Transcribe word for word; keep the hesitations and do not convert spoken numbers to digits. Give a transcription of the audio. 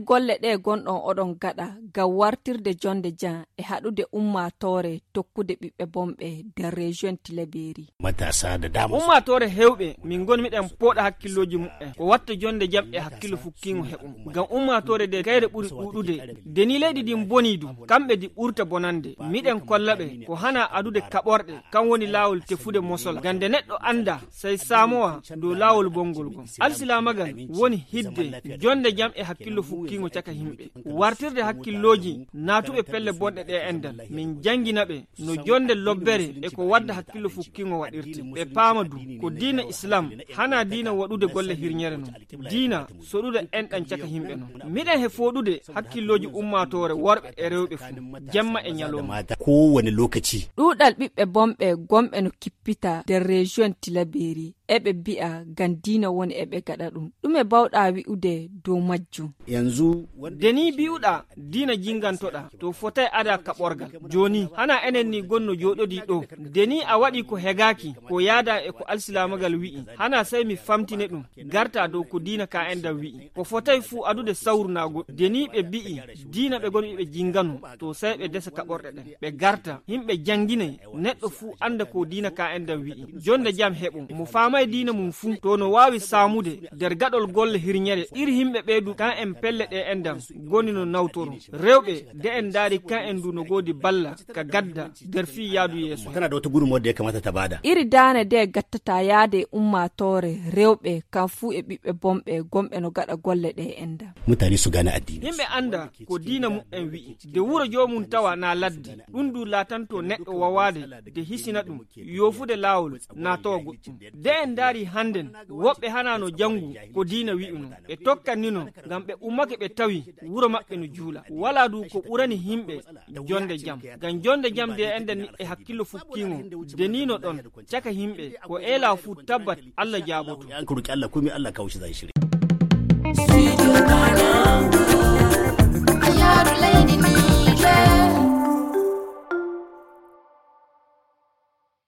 golle ɗe gonɗon oɗon gaɗa ngam wartirde jonde jam e haɗude ummatore tokkude ɓiɓɓe bomɓe nder région Tilaberi. Matasa da dama. Ummatore hewɓe min gon miɗen poɗa hakkilloji mu'en ko watta jonde jam e hakkilo fukkingo heɓum. Ngam ummatore de kayre ɓuri ɗuɗude deni leydi din boni du kamɓe di ɓurta bonande miɗen kollaɓe ko hana adude kaɓorɗe kan woni lawol tefude mosola gande neɗɗo anda sai samowa dow lawol bongol gon. Alsilamagal woni hidde jonde jam e hakkillo fukkingo caka himɓe wartirde hakkilloji natuɓe pelle bonɗe ɗe endal min janginaɓe no jonde lobbere e ko wadda hakkillo fukkingo waɗirte ɓe paama du ko diina islam hana diina waɗude golle hirñere non diina soɗude enɗan caka himɓe non miɗen he foɗude hakkilloji ummatore worɓe e rewɓe fu jemma e ñalowma kowane lokaci. Ɗuɗal ɓiɓɓe bomɓe gomɓe no kippita nder région Tilaberi eɓe bi'a gam diina woni eɓe gaɗa ɗum ɗume bawɗa wi'ude dow majjum. Yanzu deni bi'uɗa diina jingantoɗa to fotai ada kaɓorgal joni hana enen ni gonno joɗodi ɗo deni a waɗi ko hegaki ko yaada e ko alsilamagal wi'i hana sai mi famtine ɗum garta dow ko diina ka endam wi'i ko fotai fu adude sawrunago deni ɓe bi'i diina ɓe gonɓe ɓe jingano to sai ɓe desa kaɓorɗe ɗen ɓe garta himɓe jangine neɗɗo fu anda ko diina ka endam wi'i jonde jam heɓum mo famai diina mum fu to no wawi samude nder gaɗol golle hirñere iri himɓe ɓeydu kan en pelle ɗe endam goni no nawtoro rewɓe de en daari kan en du no godi balla ka gadda nder fi yaadu yeeso. Tana da wata gudunmawar da ya kamata ta bada. Iri dane de gattata yaade ummatore rewɓe kan fu e ɓiɓɓe bomɓe gomɓe no gaɗa golle ɗe endam. Mutane su gane addini. Himɓe anda ko diina mu'en wi'i de wuro jomum tawa na laddi ɗum du latanto neɗɗo wawade de hisina ɗum yofude lawol na tawa goɗɗum de en daari handen woɓɓe hanano jangu ko diina wi'uno ɓe tokkannino ngam ɓe ummake ɓe tawi wuro maɓɓe no juula wala du ko ɓurani himɓe jonde jam ngam jonde jam de enden ni e hakkillo fukkingo denino ɗon caka himɓe ko ela fu tabbat Allah jaboto an ko roki Allah komai Allah kawshi zai shirye.